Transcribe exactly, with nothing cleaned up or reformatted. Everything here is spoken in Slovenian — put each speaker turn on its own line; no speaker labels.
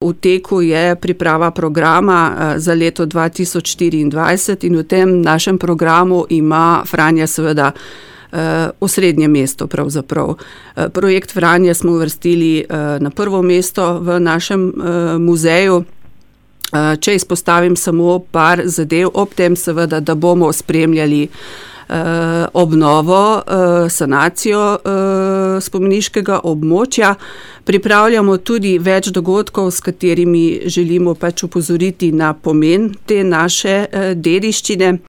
V teku je priprava programa za leto dva tisoč štiriindvajset in v tem našem programu ima Franja seveda osrednje mesto pravzaprav. Projekt Franja smo uvrstili na prvo mesto v našem muzeju. Če izpostavim samo par zadev, ob tem seveda, da bomo spremljali obnovo, sanacijo spomeniškega območja. Pripravljamo tudi več dogodkov, s katerimi želimo pač opozoriti na pomen te naše dediščine.